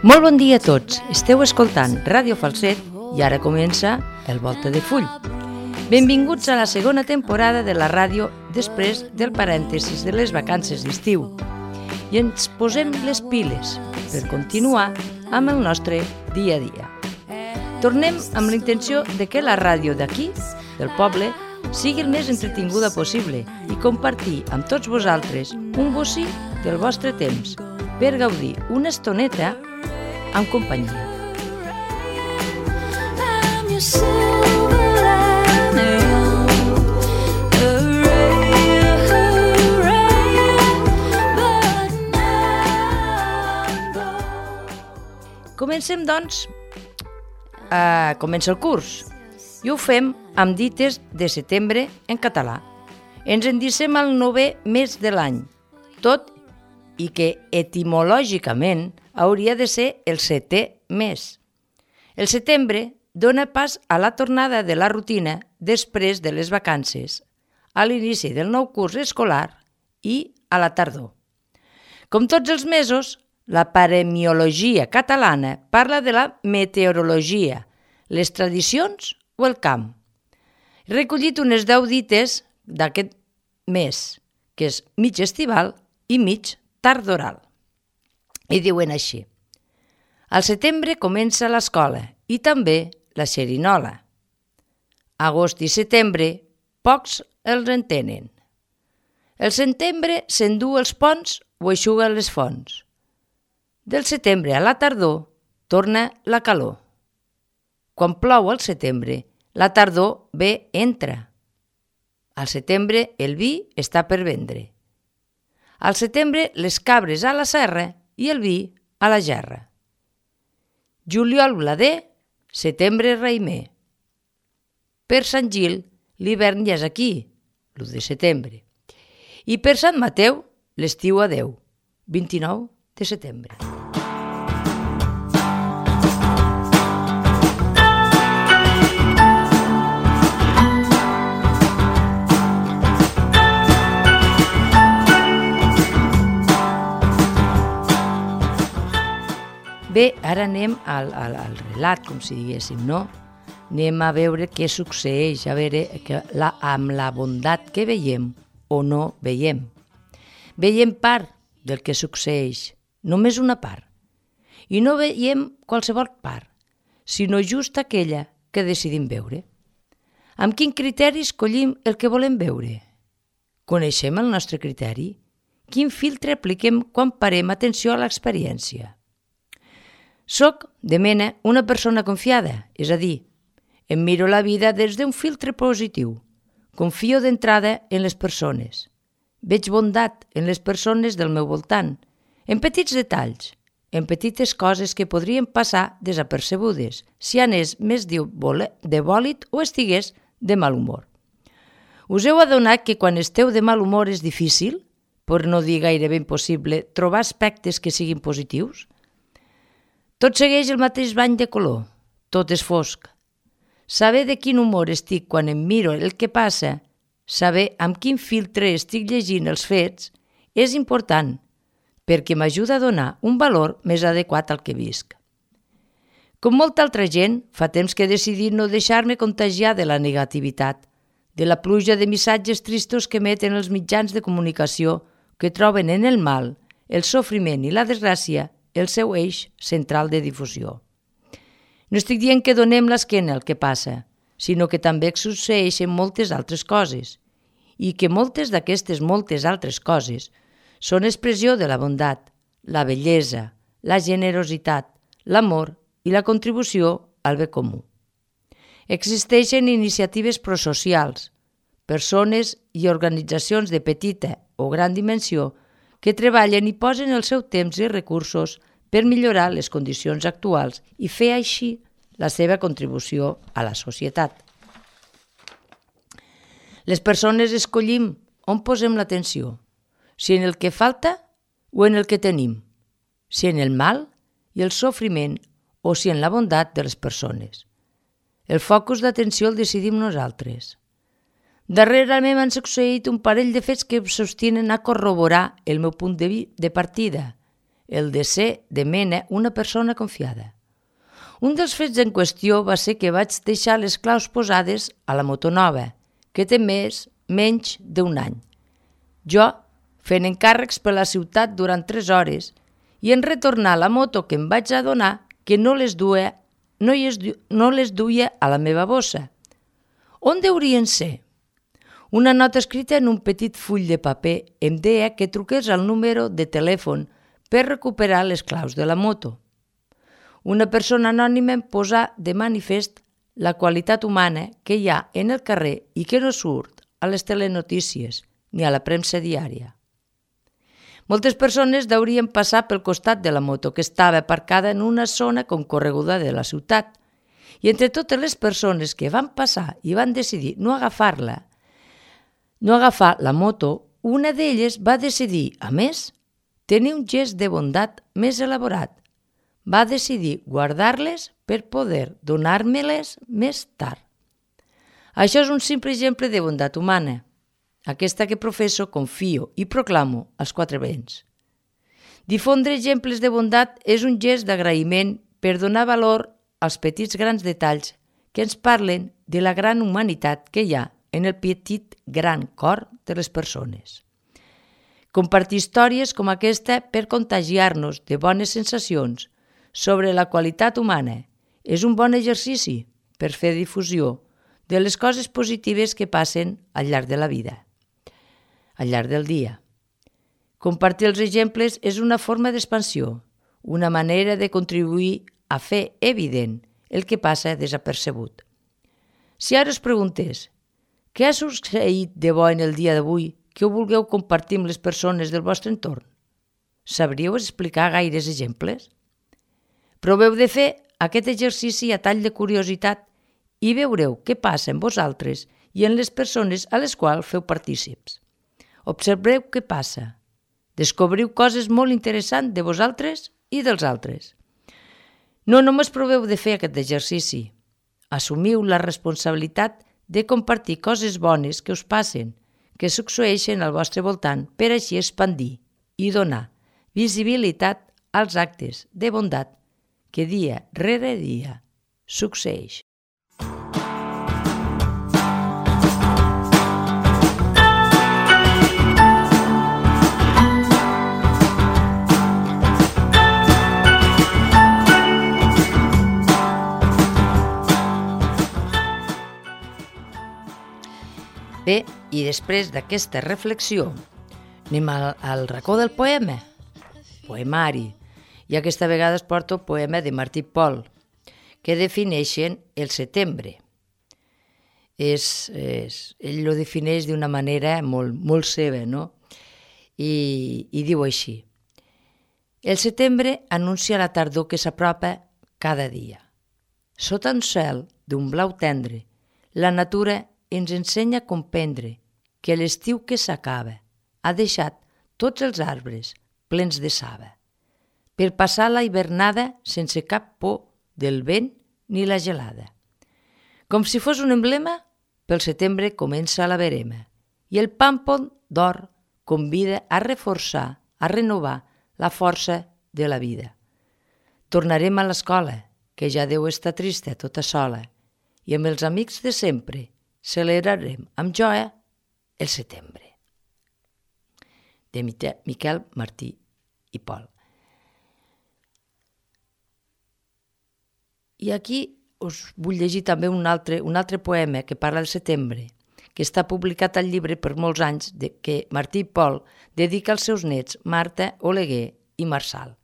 Molt bon dia a tots, esteu escoltant Ràdio Falset i ara comença el Volta de Full. Benvinguts a la segona temporada de la ràdio després del parèntesis de les vacances d'estiu. I ens posem les piles per continuar amb el nostre dia a dia. Tornem amb la intenció de que la ràdio d'aquí, del poble, sigui el més entretinguda possible i compartir amb tots vosaltres un bocí del vostre temps per gaudir una estoneta amb companyia. Comencem, doncs, comença el curs i ho fem amb dites de setembre en català. Ens endicem al 9è mes de l'any, tot i que etimològicament hauria de ser el 7è mes. El setembre dona pas a la tornada de la rutina després de les vacances, a l'inici del nou curs escolar i a la tardor. Com tots els mesos, la paremiologia catalana parla de la meteorologia, les tradicions o el camp. He recollit unes 10 dites d'aquest mes, que és mig estival i mig tardoral. I diuen així: al setembre comença l'escola i també la xerinola. Agost i setembre, pocs els entenen. El setembre s'endú els ponts o eixuga les fonts. Del setembre a la tardor torna la calor. Quan plou al setembre, la tardor ve entra. Al setembre el vi està per vendre. Al setembre les cabres a la serra i el vi a la gerra. Juliol blader, setembre raïmer. Per Sant Gil, l'hivern ja és aquí, l'1 de setembre. I per Sant Mateu, l'estiu adeu, 29 de setembre. Bé, ara anem al relat, com si diguéssim, no? Anem a veure què succeeix, a veure amb la bondat que veiem o no veiem. Veiem part del que succeeix, només una part. I no veiem qualsevol part, sinó just aquella que decidim veure. Amb quin criteri escollim el que volem veure? Coneixem el nostre criteri? Quin filtre apliquem quan parem atenció a l'experiència? Soc, de mena, una persona confiada, és a dir, em miro la vida des d'un filtre positiu. Confio d'entrada en les persones. Veig bondat en les persones del meu voltant, en petits detalls, en petites coses que podrien passar desapercebudes si anés més de bòlit o estigués de mal humor. Us heu adonat que quan esteu de mal humor és difícil, per no dir gairebé impossible, trobar aspectes que siguin positius? Tot segueix el mateix bany de color, tot és fosc. Saber de quin humor estic quan em miro el que passa, saber amb quin filtre estic llegint els fets, és important, perquè m'ajuda a donar un valor més adequat al que visc. Com molta altra gent, fa temps que he decidit no deixar-me contagiar de la negativitat, de la pluja de missatges tristos que emeten els mitjans de comunicació que troben en el mal, el sofriment i la desgràcia el seu eix central de difusió. No estic dient que donem l'esquena al que passa, sinó que també succeeixen moltes altres coses i que moltes d'aquestes moltes altres coses són expressió de la bondat, la bellesa, la generositat, l'amor i la contribució al bé comú. Existeixen iniciatives prosocials, persones i organitzacions de petita o gran dimensió que treballen i posen el seu temps i recursos per millorar les condicions actuals i fer així la seva contribució a la societat. Les persones escollim on posem l'atenció, si en el que falta o en el que tenim, si en el mal i el sofriment o si en la bondat de les persones. El focus d'atenció el decidim nosaltres. Darrerament m'han succeït un parell de fets que sostenen a corroborar el meu punt de partida. el de ser de mena una persona confiada. Un dels fets en qüestió va ser que vaig deixar les claus posades a la moto nova, que té menys d'un any. Jo, fent encàrrecs per la ciutat durant 3 hores, i en retornar la moto que em vaig adonar que no les duia a la meva bossa. On deurien ser? Una nota escrita en un petit full de paper em deia que truqués al número de telèfon per recuperar les claus de la moto. Una persona anònima em posa de manifest la qualitat humana que hi ha en el carrer i que no surt a les telenotícies ni a la premsa diària. Moltes persones deurien passar pel costat de la moto que estava aparcada en una zona concorreguda de la ciutat i entre totes les persones que van passar i van decidir no agafar la moto, una d'elles va decidir, a més, tenir un gest de bondat més elaborat. Va decidir guardar-les per poder donar-me-les més tard. Això és un simple exemple de bondat humana, aquesta que professo, confio i proclamo als 4 vents. Difondre exemples de bondat és un gest d'agraïment per donar valor als petits grans detalls que ens parlen de la gran humanitat que hi ha en el petit gran cor de les persones. Compartir històries com aquesta per contagiar-nos de bones sensacions sobre la qualitat humana és un bon exercici per fer difusió de les coses positives que passen al llarg de la vida, al llarg del dia. Compartir els exemples és una forma d'expansió, una manera de contribuir a fer evident el que passa desapercebut. Si ara us preguntés què ha succeït de bo en el dia d'avui que ho vulgueu compartir amb les persones del vostre entorn, sabríeu explicar gaires exemples? Proveu de fer aquest exercici a tall de curiositat i veureu què passa en vosaltres i en les persones a les quals feu partícips. Observeu què passa. Descobriu coses molt interessants de vosaltres i dels altres. No només proveu de fer aquest exercici. Assumiu la responsabilitat de compartir coses bones que us passen, que succeeixen al vostre voltant per així expandir i donar visibilitat als actes de bondat que dia rere dia succeeix. Bé, i després d'aquesta reflexió anem al racó del poema, poemari, i aquesta vegada es porta el poema de Martí i Pol, que defineixen el setembre. Ell lo defineix d'una manera molt seva, no? I diu així: el setembre anuncia la tardor que s'apropa cada dia. Sota un cel d'un blau tendre, la natura ens ensenya a comprendre que l'estiu que s'acaba ha deixat tots els arbres plens de saba, per passar la hivernada sense cap por del vent ni la gelada. Com si fos un emblema, pel setembre comença la verema i el pàmpol d'or convida a reforçar, a renovar la força de la vida. Tornarem a l'escola, que ja deu estar trista tota sola, i amb els amics de sempre celebrarem amb joia el setembre. De Miquel Martí i Pol. I aquí us vull llegir també un altre poema que parla del setembre, que està publicat al llibre per molts anys que Martí i Pol dedica als seus nets Marta, Oleguer i Marçal.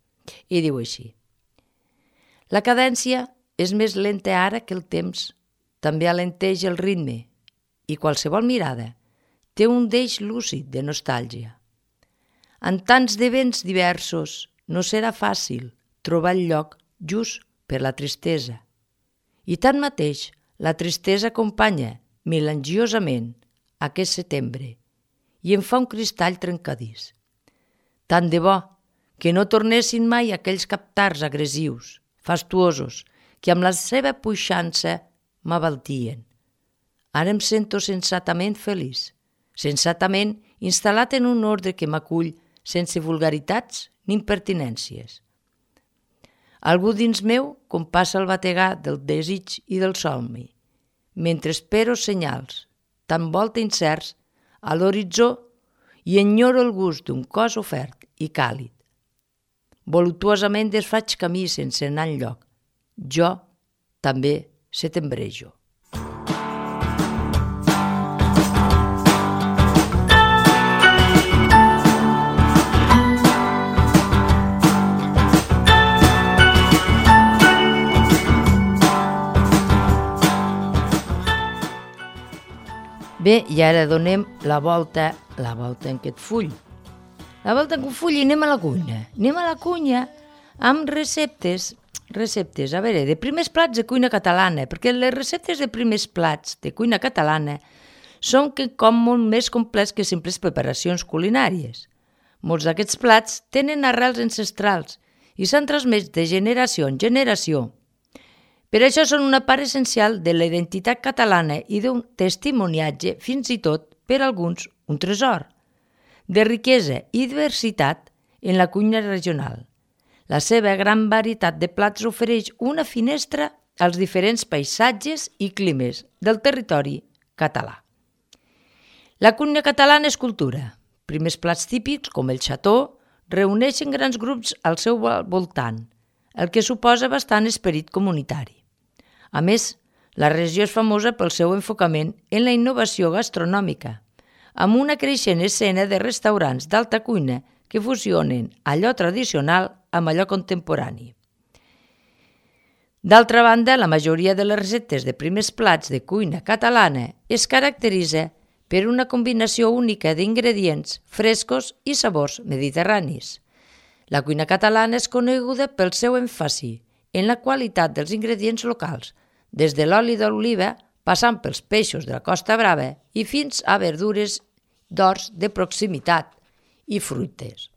I diu així: la cadència és més lenta ara que el temps, també alenteix el ritme, i qualsevol mirada té un deix lúcid de nostàlgia. En tants de vents diversos no serà fàcil trobar el lloc just per la tristesa. I tanmateix, la tristesa acompanya melangiosament aquest setembre i em fa un cristall trencadís. Tant de bo que no tornessin mai aquells captars agressius, fastuosos, que amb la seva puixança m'abaltien. Ara em sento sensatament feliç, sensatament instal·lat en un ordre que m'acull sense vulgaritats ni impertinències. Algú dins meu compassa el bategar del desig i del somni, mentre espero senyals, tan volta incerts, a l'horitzó i enyoro el gust d'un cos ofert i càlid. Voluptuosament desfaig camí sense anar enlloc. Jo també setembrejo. Bé, i ara donem la volta en aquest full. La volta en aquest full i anem a la cuina. Anem a la cuina amb receptes, a veure, de primers plats de cuina catalana, perquè les receptes de primers plats de cuina catalana són com molt més complets que simples preparacions culinàries. Molts d'aquests plats tenen arrels ancestrals i s'han transmès de generació en generació. Per això són una part essencial de la identitat catalana i d'un testimoniatge, fins i tot, per alguns, un tresor, de riquesa i diversitat en la cuina regional. La seva gran varietat de plats ofereix una finestra als diferents paisatges i climes del territori català. La cuina catalana és cultura. Primers plats típics, com el xató, reuneixen grans grups al seu voltant, el que suposa bastant esperit comunitari. A més, la regió és famosa pel seu enfocament en la innovació gastronòmica, amb una creixent escena de restaurants d'alta cuina que fusionen allò tradicional amb allò contemporani. D'altra banda, la majoria de les receptes de primers plats de cuina catalana es caracteritza per una combinació única d'ingredients frescos i sabors mediterranis. La cuina catalana és coneguda pel seu èmfasi en la qualitat dels ingredients locals, des de l'oli d'oliva, passant pels peixos de la Costa Brava i fins a verdures d'horts de proximitat i fruites.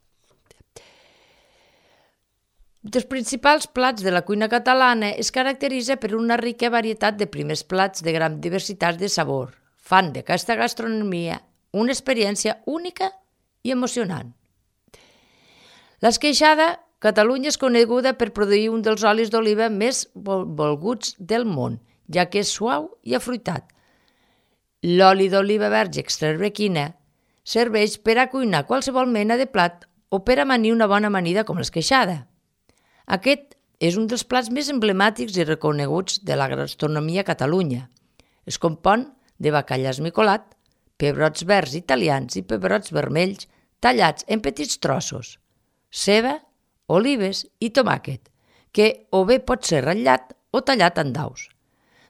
Els principals plats de la cuina catalana es caracteritza per una rica varietat de primers plats de gran diversitat de sabor. Fan d'aquesta gastronomia una experiència única i emocionant. L'esqueixada, Catalunya és coneguda per produir un dels olis d'oliva més volguts del món, ja que és suau i afruitat. L'oli d'oliva verge extraverquina serveix per a cuinar qualsevol mena de plat o per amanir una bona amanida com l'esqueixada. Aquest és un dels plats més emblemàtics i reconeguts de la gastronomia a Catalunya. Es compon de bacallà esmicolat, pebrots verds italians i pebrots vermells tallats en petits trossos, ceba, olives i tomàquet, que o bé pot ser ratllat o tallat en daus.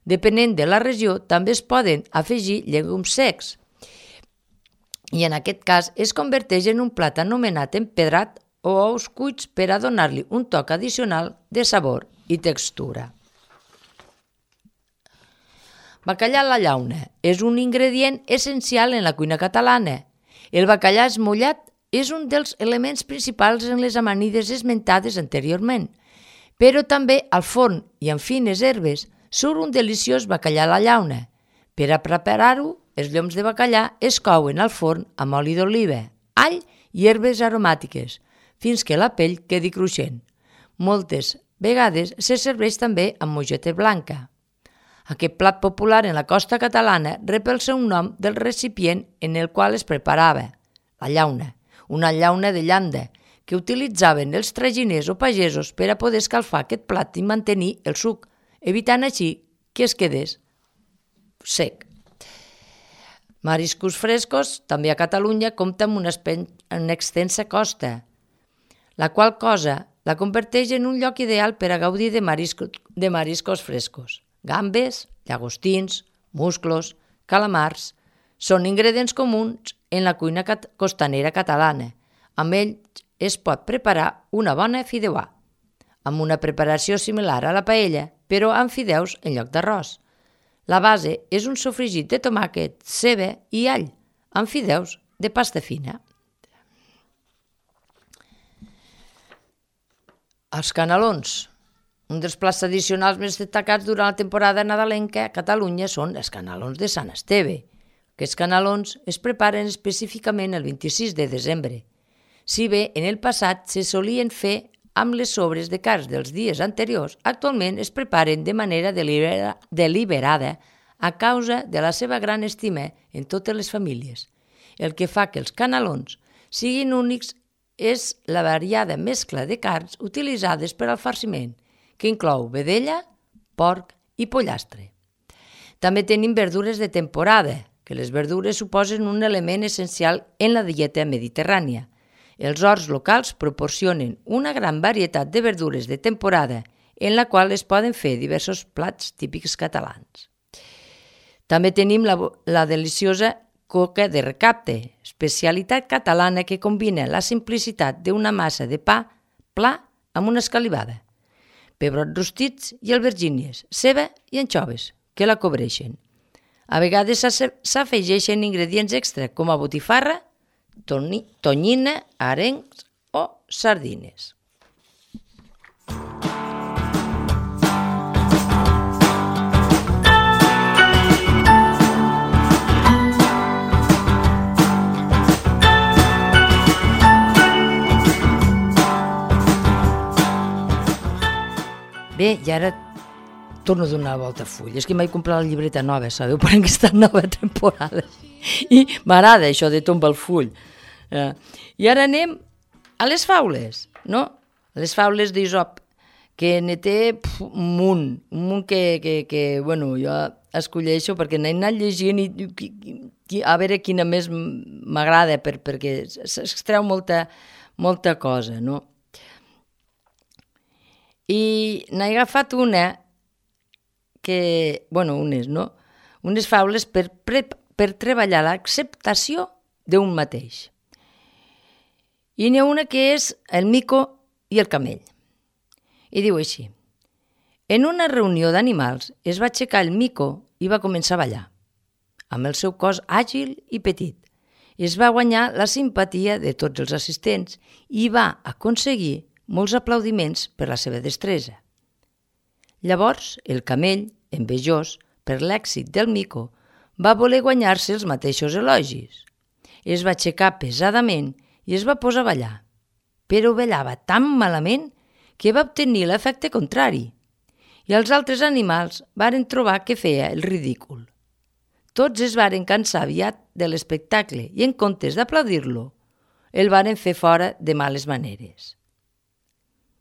Depenent de la regió, també es poden afegir llegums secs i en aquest cas es converteix en un plat anomenat empedrat o ous cuits per a donar-li un toc addicional de sabor i textura. Bacallà a la llauna és un ingredient essencial en la cuina catalana. El bacallà esmollat és un dels elements principals en les amanides esmentades anteriorment, però també al forn i amb fines herbes surt un deliciós bacallà a la llauna. Per a preparar-ho, els lloms de bacallà es couen al forn amb oli d'oliva, all i herbes aromàtiques, fins que la pell quedi cruixent. Moltes vegades se serveix també amb mongeta blanca. Aquest plat popular en la costa catalana rep el seu nom del recipient en el qual es preparava, la llauna, una llauna de llanda, que utilitzaven els traginers o pagesos per a poder escalfar aquest plat i mantenir el suc, evitant així que es quedés sec. Mariscos frescos, també a Catalunya, compta amb una extensa costa, la qual cosa la converteix en un lloc ideal per a gaudir de mariscos frescos. Gambes, llagostins, musclos, calamars, són ingredients comuns en la cuina costanera catalana. Amb ells es pot preparar una bona fideuà, amb una preparació similar a la paella, però amb fideus en lloc d'arròs. La base és un sofregit de tomàquet, ceba i all, amb fideus de pasta fina. Els canelons. Un dels plats tradicionals més destacats durant la temporada nadalenca a Catalunya són els canelons de Sant Esteve. Aquests canelons es preparen específicament el 26 de desembre. Si bé en el passat se solien fer amb les sobres de carns dels dies anteriors, actualment es preparen de manera deliberada a causa de la seva gran estima en totes les famílies. El que fa que els canelons siguin únics és la variada mescla de carns utilitzades per al farciment, que inclou vedella, porc i pollastre. També tenim verdures de temporada, que les verdures suposen un element essencial en la dieta mediterrània. Els horts locals proporcionen una gran varietat de verdures de temporada en la qual es poden fer diversos plats típics catalans. També tenim la deliciosa coca de recapte, especialitat catalana que combina la simplicitat d'una massa de pa pla amb una escalivada, pebrots rostits i albergínies, ceba i anxoves, que la cobreixen. A vegades s'afegeixen ingredients extra com a botifarra, tonyina, arengs o sardines. Bé, i ara torno a donar la volta a full. És que m'he comprat la llibreta nova, sabeu, per aquesta nova temporada. I m'agrada això de tombar el full. I ara anem a les faules, no? Les faules d'Isop, que ne té un munt que bueno, jo escolleixo perquè n'he anat llegint i a veure quina més m'agrada, perquè s'extreu molta cosa, no? I n'he agafat una que, bueno, unes faules per treballar l'acceptació d'un mateix. I n'hi ha una que és el mico i el camell. I diu així: en una reunió d'animals es va aixecar el mico i va començar a ballar. Amb el seu cos àgil i petit, es va guanyar la simpatia de tots els assistents i va aconseguir molts aplaudiments per la seva destresa. Llavors, el camell, envejós per l'èxit del mico, va voler guanyar-se els mateixos elogis. Es va aixecar pesadament i es va posar a ballar, però ballava tan malament que va obtenir l'efecte contrari, i els altres animals varen trobar que feia el ridícul. Tots es varen cansar aviat de l'espectacle i, en comptes d'aplaudir-lo, el varen fer fora de males maneres.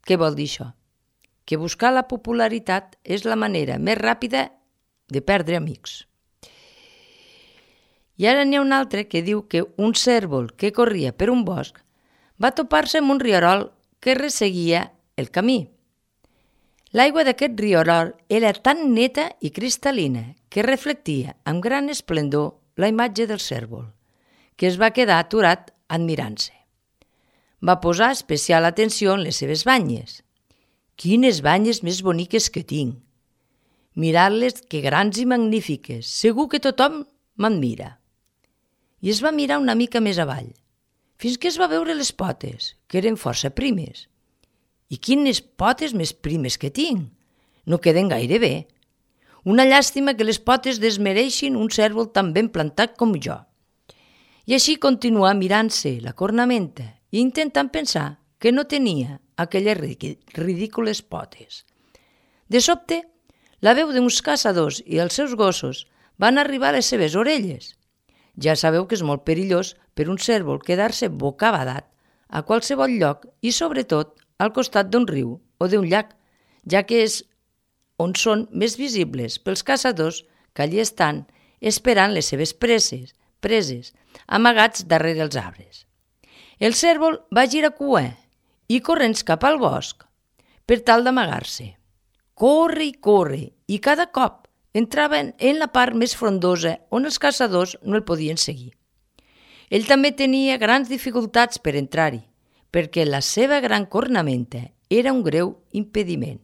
Què vol dir això? Que buscar la popularitat és la manera més ràpida de perdre amics. I ara n'hi ha un altre que diu que un cérvol que corria per un bosc va topar-se amb un rierol que resseguia el camí. L'aigua d'aquest rierol era tan neta i cristal·lina que reflectia amb gran esplendor la imatge del cérvol, que es va quedar aturat admirant-se. Va posar especial atenció en les seves banyes. Quines banyes més boniques que tinc! Mirant-les, que grans i magnífiques, segur que tothom m'admira. I es va mirar una mica més avall, fins que es va veure les potes, que eren força primes. I quines potes més primes que tinc! No queden gaire bé. Una llàstima que les potes desmereixin un cérvol tan ben plantat com jo. I així continuà mirant-se la cornamenta i intentant pensar que no tenia aquelles ridícules potes. De sobte, la veu d'uns caçadors i els seus gossos van arribar a les seves orelles. Ja sabeu que és molt perillós per un cérvol quedar-se bocabadat a qualsevol lloc i, sobretot, al costat d'un riu o d'un llac, ja que és on són més visibles pels caçadors que allí estan esperant les seves preses, amagats darrere els arbres. El cérvol va girar cua i corrents cap al bosc per tal d'amagar-se. Corre, i cada cop entraven en la part més frondosa on els caçadors no el podien seguir. Ell també tenia grans dificultats per entrar-hi, perquè la seva gran cornamenta era un greu impediment.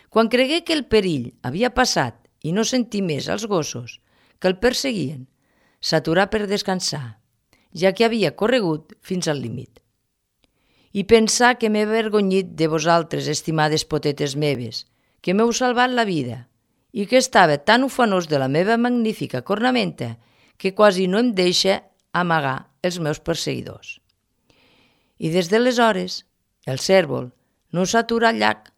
Quan cregué que el perill havia passat i no sentí més els gossos que el perseguien, s'aturà per descansar, ja que havia corregut fins al límit. I pensar que m'he avergonyit de vosaltres, estimades potetes meves, que m'heu salvat la vida i que estava tan ufanós de la meva magnífica cornamenta que quasi no em deixa amagar els meus perseguidors. i des d'aleshores el cérvol no s'atura al llac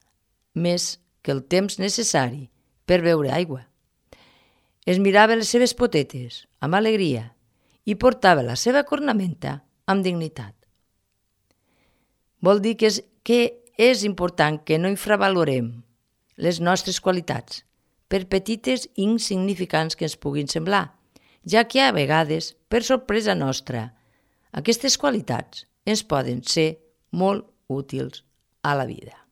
més que el temps necessari per beure aigua. Es mirava les seves potetes amb alegria i portava la seva cornamenta amb dignitat. Vol dir que és important que no infravalorem les nostres qualitats, per petites i insignificants que ens puguin semblar, ja que a vegades, per sorpresa nostra, aquestes qualitats ens poden ser molt útils a la vida.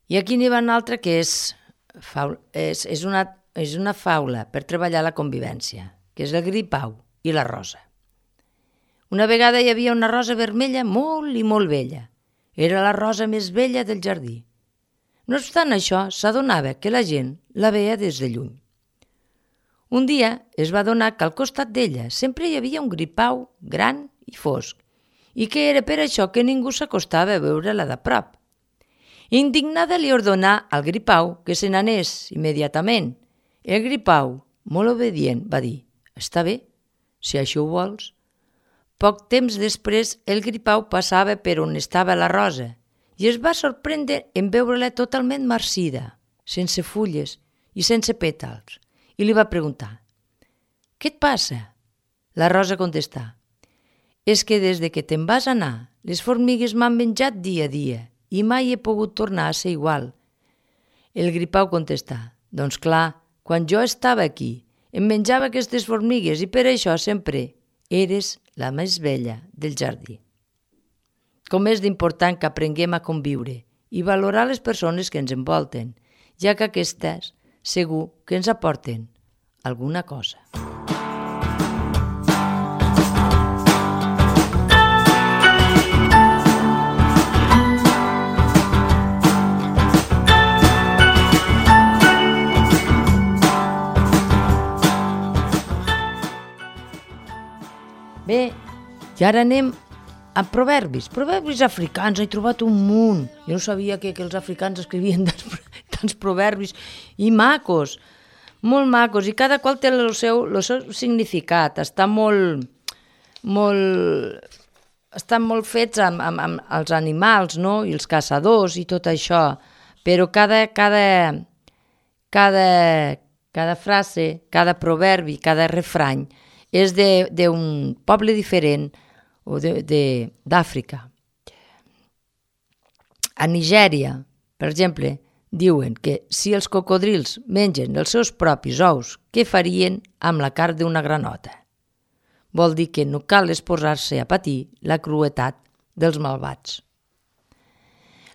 I aquí n'hi ha una altra que és una faula per treballar la convivència, que és el gripau i la rosa. Una vegada hi havia una rosa vermella molt i molt vella. Era la rosa més vella del jardí. No obstant això, s'adonava que la gent la veia des de lluny. Un dia es va adonar que al costat d'ella sempre hi havia un gripau gran i fosc, i que era per això que ningú s'acostava a veure-la de prop. Indignada li ordenà al gripau que se n'anés immediatament. El gripau, molt obedient, va dir: «Està bé, si això ho vols». Poc temps després, el gripau passava per on estava la rosa i es va sorprendre en veure-la totalment marcida, sense fulles i sense pètals, i li va preguntar: «Què et passa?» La rosa contestà: «És que des de que te'n vas anar, les formigues m'han menjat dia a dia i mai he pogut tornar a ser igual». El gripau contestà: «Doncs clar, quan jo estava aquí, em menjava aquestes formigues i per això sempre eres la més vella del jardí». Com és d'important que aprenguem a conviure i valorar les persones que ens envolten, ja que aquestes segur que ens aporten alguna cosa. Bé, i ara anem a proverbis. Proverbis africans, he trobat un munt. Jo no sabia que els africans escrivien tants proverbis i macos, molt macos, i cada qual té el seu significat. Estan molt fets amb els animals, no? I els caçadors i tot això, però cada frase, cada proverbi, cada refrany és d'un poble diferent o d'Àfrica. A Nigèria, per exemple, diuen que si els cocodrils mengen els seus propis ous, què farien amb la carn d'una granota? Vol dir que no cal exposar-se a patir la crueltat dels malvats.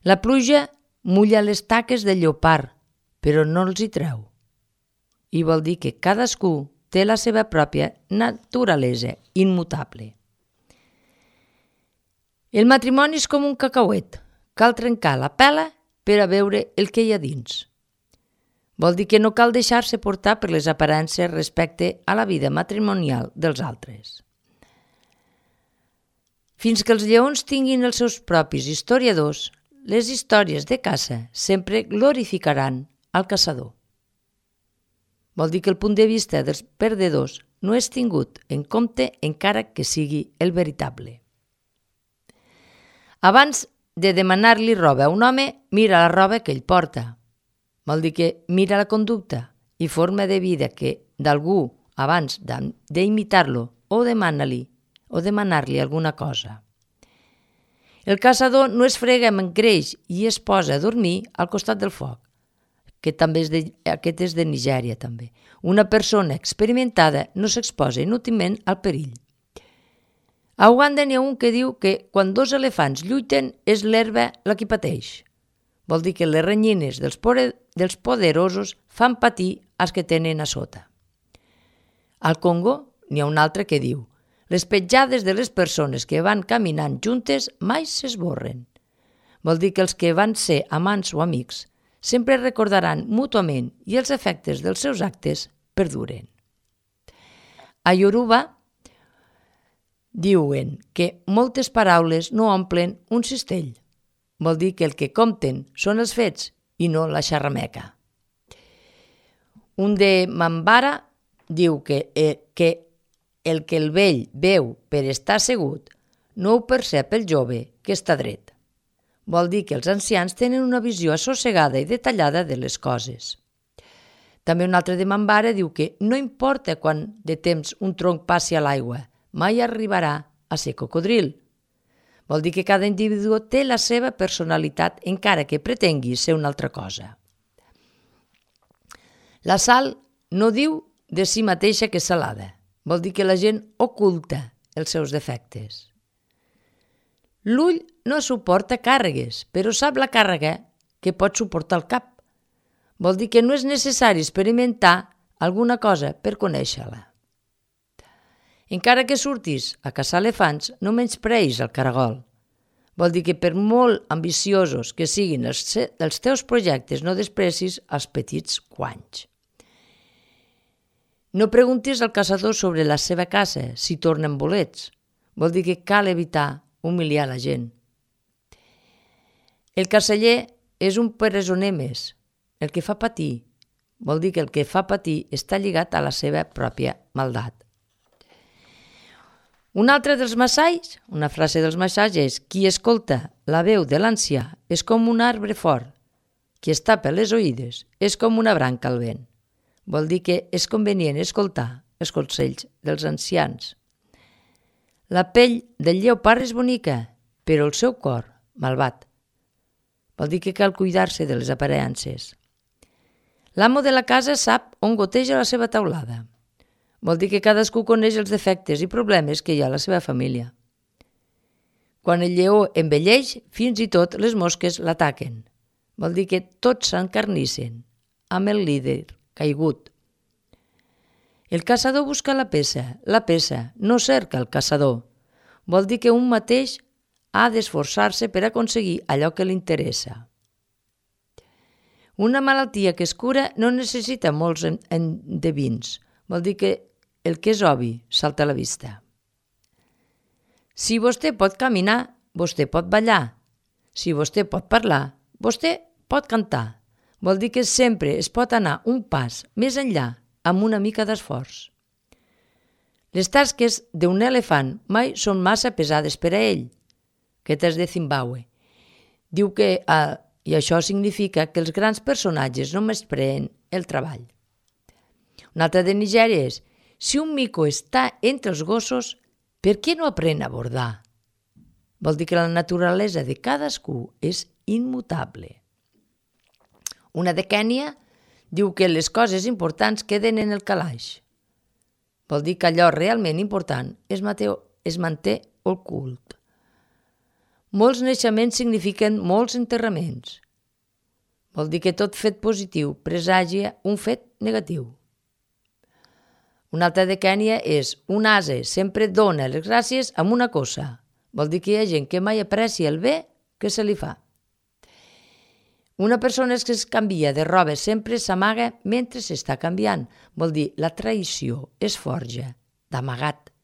La pluja mulla les taques del lleopard, però no els hi treu. I vol dir que cadascú té la seva pròpia naturalesa immutable. El matrimoni és com un cacauet. Cal trencar la pela per a veure el que hi ha dins. Vol dir que no cal deixar-se portar per les aparences respecte a la vida matrimonial dels altres. Fins que els lleons tinguin els seus propis historiadors, les històries de caça sempre glorificaran al caçador. Vol dir que el punt de vista dels perdedors no és tingut en compte encara que sigui el veritable. Abans de demanar-li roba a un home, mira la roba que ell porta. Vol dir que mira la conducta i forma de vida d'algú abans d'imitar-lo o demanar-li alguna cosa. El caçador no es frega amb greix i es posa a dormir al costat del foc, que també aquest és de Nigèria també. Una persona experimentada no s'exposa inútilment al perill. A Uganda n'hi ha un que diu que quan dos elefants lluiten és l'herba la qui pateix. Vol dir que les renyines dels poderosos fan patir els que tenen a sota. Al Congo n'hi ha un altre que diu: les petjades de les persones que van caminant juntes mai s'esborren. Vol dir que els que van ser amants o amics sempre recordaran mútuament i els efectes dels seus actes perduren. A Yoruba diuen que moltes paraules no omplen un cistell. Vol dir que el que compten són els fets i no la xarrameca. Un de Mambara diu que el que el vell veu per estar assegut no ho percep el jove que està dret. Vol dir que els ancians tenen una visió assossegada i detallada de les coses. També un altre de Mambara diu que no importa quant de temps un tronc passi a l'aigua, mai arribarà a ser cocodril. Vol dir que cada individu té la seva personalitat encara que pretengui ser una altra cosa. La sal no diu de si mateixa que és salada. Vol dir que la gent oculta els seus defectes. L'ull no suporta càrregues, però sap la càrrega que pot suportar el cap. Vol dir que no és necessari experimentar alguna cosa per conèixer-la. Encara que surtis a caçar elefants, no menyspreis el caragol. Vol dir que per molt ambiciosos que siguin els teus projectes, no desprecis els petits guanys. No preguntis al caçador sobre la seva caça si tornen bolets. Vol dir que cal evitar humiliar la gent. El carceller és un presoner més, el que fa patir. Vol dir que el que fa patir està lligat a la seva pròpia maldat. Un altre dels massais, una frase dels massais és: qui escolta la veu de l'ancià és com un arbre fort, qui es tapa les oïdes és com una branca al vent. Vol dir que és convenient escoltar els consells dels ancians. La pell del lleopard és bonica, però el seu cor, malvat. Vol dir que cal cuidar-se de les aparences. L'amo de la casa sap on goteja la seva taulada. Vol dir que cadascú coneix els defectes i problemes que hi ha a la seva família. Quan el lleó envelleix, fins i tot les mosques l'ataquen. Vol dir que tots s'encarnissen amb el líder caigut. El caçador busca la peça no cerca el caçador. Vol dir que un mateix ha d'esforçar-se per aconseguir allò que li interessa. Una malaltia que es cura no necessita molts endevins. Vol dir que el que és obvi salta a la vista. Si vostè pot caminar, vostè pot ballar. Si vostè pot parlar, vostè pot cantar. Vol dir que sempre es pot anar un pas més enllà amb una mica d'esforç. Les tasques d'un elefant mai són massa pesades per a ell. Aquest és de Zimbabue. Diu que, i això significa que els grans personatges no menyspreen el treball. Un altre de Nigèria és: si un mico està entre els gossos, per què no aprèn a bordar? Vol dir que la naturalesa de cadascú és immutable. Una de Kènia diu que les coses importants queden en el calaix. Vol dir que allò realment important es manté ocult. Molts naixements signifiquen molts enterraments. Vol dir que tot fet positiu presagia un fet negatiu. Un altre de Kènia és: un ase sempre dona les gràcies amb una cosa. Vol dir que hi ha gent que mai aprecia el bé que se li fa. Una persona que es canvia de roba sempre s'amaga mentre s'està canviant. Vol dir la traïció es forja d'amagat.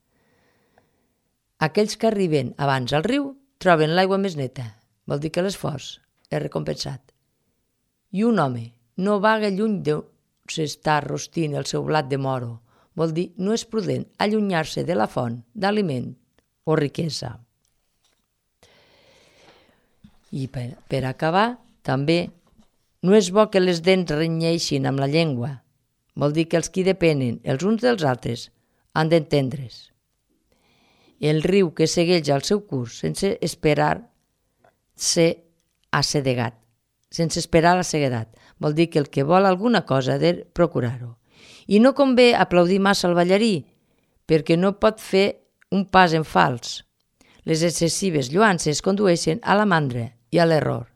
Aquells que arriben abans al riu troben l'aigua més neta. Vol dir que l'esforç és recompensat. I un home no vaga lluny d'on s'està rostint el seu blat de moro. Vol dir no és prudent allunyar-se de la font d'aliment o riquesa. I per acabar, també, no és bo que les dents renyeixin amb la llengua. Vol dir que els qui depenen els uns dels altres han d'entendre's. El riu que segueix el seu curs sense esperar la ceguedat. Vol dir que el que vol alguna cosa ha de procurar-ho. I no convé aplaudir massa el ballarí, perquè no pot fer un pas en fals. Les excessives lloances condueixen a la mandra i a l'error.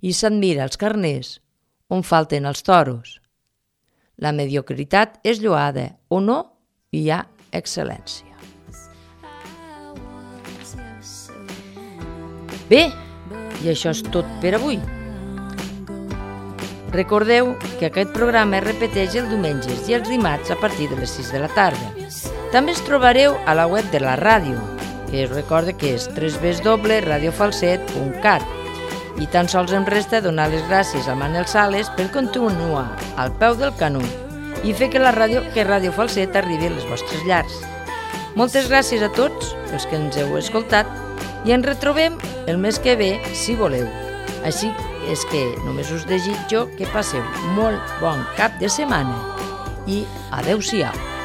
I s'admira els carners on falten els toros. La mediocritat és lloada o no hi ha excel·lència. Bé, i això és tot per avui. Recordeu que aquest programa es repeteix els diumenges i els dimarts a partir de les 6 de la tarda. També ens trobareu a la web de la ràdio, que us recordo que és www.radiofalset.cat. I tan sols em resta donar les gràcies a Manel Sales per continuar al peu del canó i fer que Ràdio Falset arribi a les vostres llars. Moltes gràcies a tots els que ens heu escoltat i ens retrobem el mes que ve, si voleu. Així és que només us desitjo que passeu molt bon cap de setmana i adeu-siau.